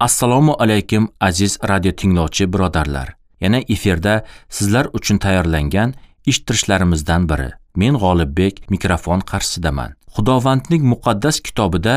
Assalomu alaykum aziz radio tinglovchi birodarlar. Yana efirda sizlar uchun tayyorlangan eshittirishlarimizdan biri. Men G'olibbek mikrofon qarshisidaman. Xudovandning muqaddas kitobida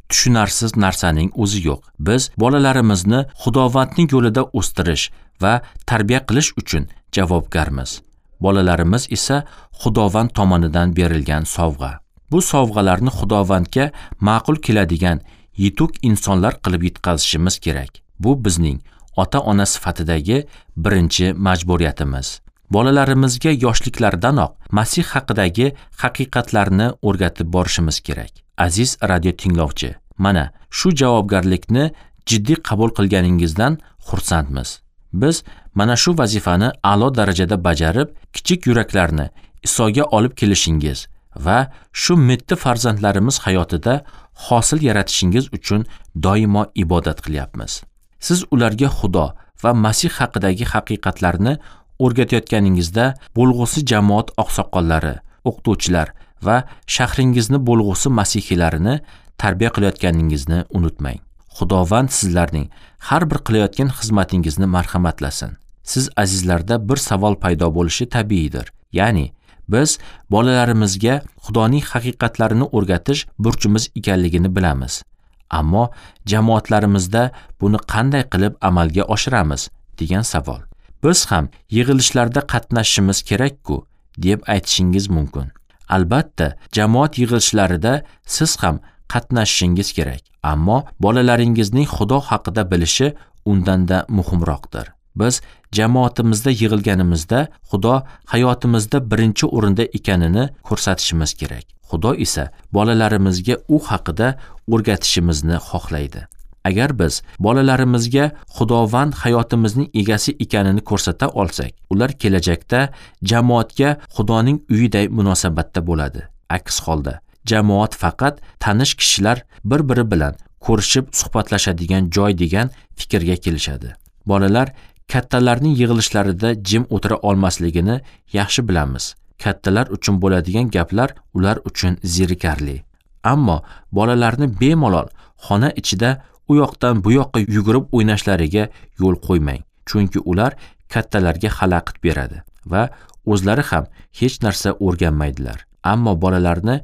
tushunarsiz narsaning o'zi yo'q. Biz bolalarimizni Xudovandning yo'lida o'stirish va tarbiya qilish uchun javobgarmiz. Bolalarimiz esa Xudovand tomonidan berilgan sovg'a. Bu sovg'alarni Xudovandga ma'qul keladigan yetuk insonlar qilib yetkazishimiz kerak. Bu bizning ota-ona sifatidagi birinchi majburiyatimiz. Bolalarimizga yoshliklaridanoq Masih haqidagi haqiqatlarni o'rgatib borishimiz kerak. Aziz radio tinglovchi, mana shu javobgarlikni jiddiy qabul qilganingizdan xursandmiz. Biz mana shu vazifani a'lo darajada bajarib, kichik yuraklarni Isoga olib kelishingiz va shu mitti farzandlarimiz hayotida hosil yaratishingiz uchun doimo ibodat qilyapmiz. Siz ularga Xudo va Masih haqidagi haqiqatlarni o'rgatayotganingizda bo'lg'usi jamoat oqsoqollari, o'qituvchilar va shahringizni bo'lg'usi masihiylarini tarbiya qilayotganingizni unutmang. Xudovand sizlarning har bir qilayotgan xizmatingizni marhamatlasin. Siz azizlarda bir savol paydo bo'lishi tabiiydir. Ya'ni biz bolalarimizga Xudoning haqiqatlarini o'rgatish burchimiz ekanligini bilamiz. Ammo jamoatlarimizda buni qanday qilib amalga oshiramiz degan savol. Biz ham yig'ilishlarda qatnashishimiz kerak-ku deb aytishingiz mumkin. Albatta, jamoat yig'ilishlarida siz ham qatnashishingiz kerak. Ammo bolalaringizning Xudo haqida bilishi undan-da muhimroqdir. Biz jamoatimizda yig'ilganimizda Xudo hayotimizda birinchi o'rinda ekanini ko'rsatishimiz kerak. Xudo esa bolalarimizga u haqida o'rgatishimizni xohlaydi. Agar biz bolalarimizga Xudovand hayotimizning egasi ekanini ko'rsata olsak, ular kelajakda jamoatga Xudoning uyiday munosabatda bo'ladi. Aks holda jamoat faqat tanish kishilar bir-biri bilan ko'rishib suhbatlashadigan joy degan fikrga kelishadi. Bolalar kattalarning yig'ilishlarida jim o'tira olmasligini yaxshi bilamiz. Kattalar uchun bo'ladigan gaplar ular uchun zerikarli. Ammo bolalarni bemalol xona ichida u yoqdan bu yoqqa yugurib o'ynashlariga yo'l qo'ymang, chunki ular kattalarga xalaqit beradi va o'zlari ham hech narsa o'rganmaydilar. Ammo bolalarni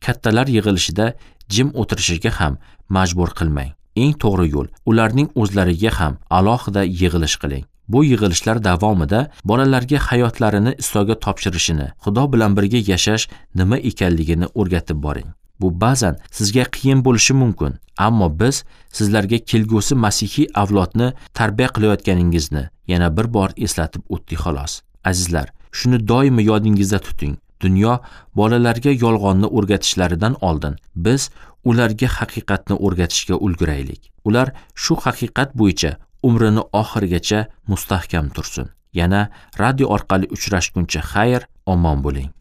kattalar yig'ilishida jim o'tirishiga ham majbur qilmang. Eng to'g'ri yo'l ularning o'zlariga ham alohida yig'ilish qiling. Bu yig'ilishlar davomida bolalarga hayotlarini Isoga topshirishini, Xudo bilan birga yashash nima ekanligini o'rgatib boring. Bu ba'zan sizga qiyin bo'lishi mumkin, ammo biz sizlarga kelgusi masihiy avlodni tarbiya qilayotganingizni yana bir bor eslatib o'tdik xolos. Azizlar, shuni doimo yodingizda tuting. Dunyo bolalarga yolg'onni o'rgatishlaridan oldin biz ularga haqiqatni o'rgatishga ulguraylik. Ular shu haqiqat bo'yicha umrini oxirigacha mustahkam tursin. Yana radio orqali uchrashguncha xayr, omon bo'ling.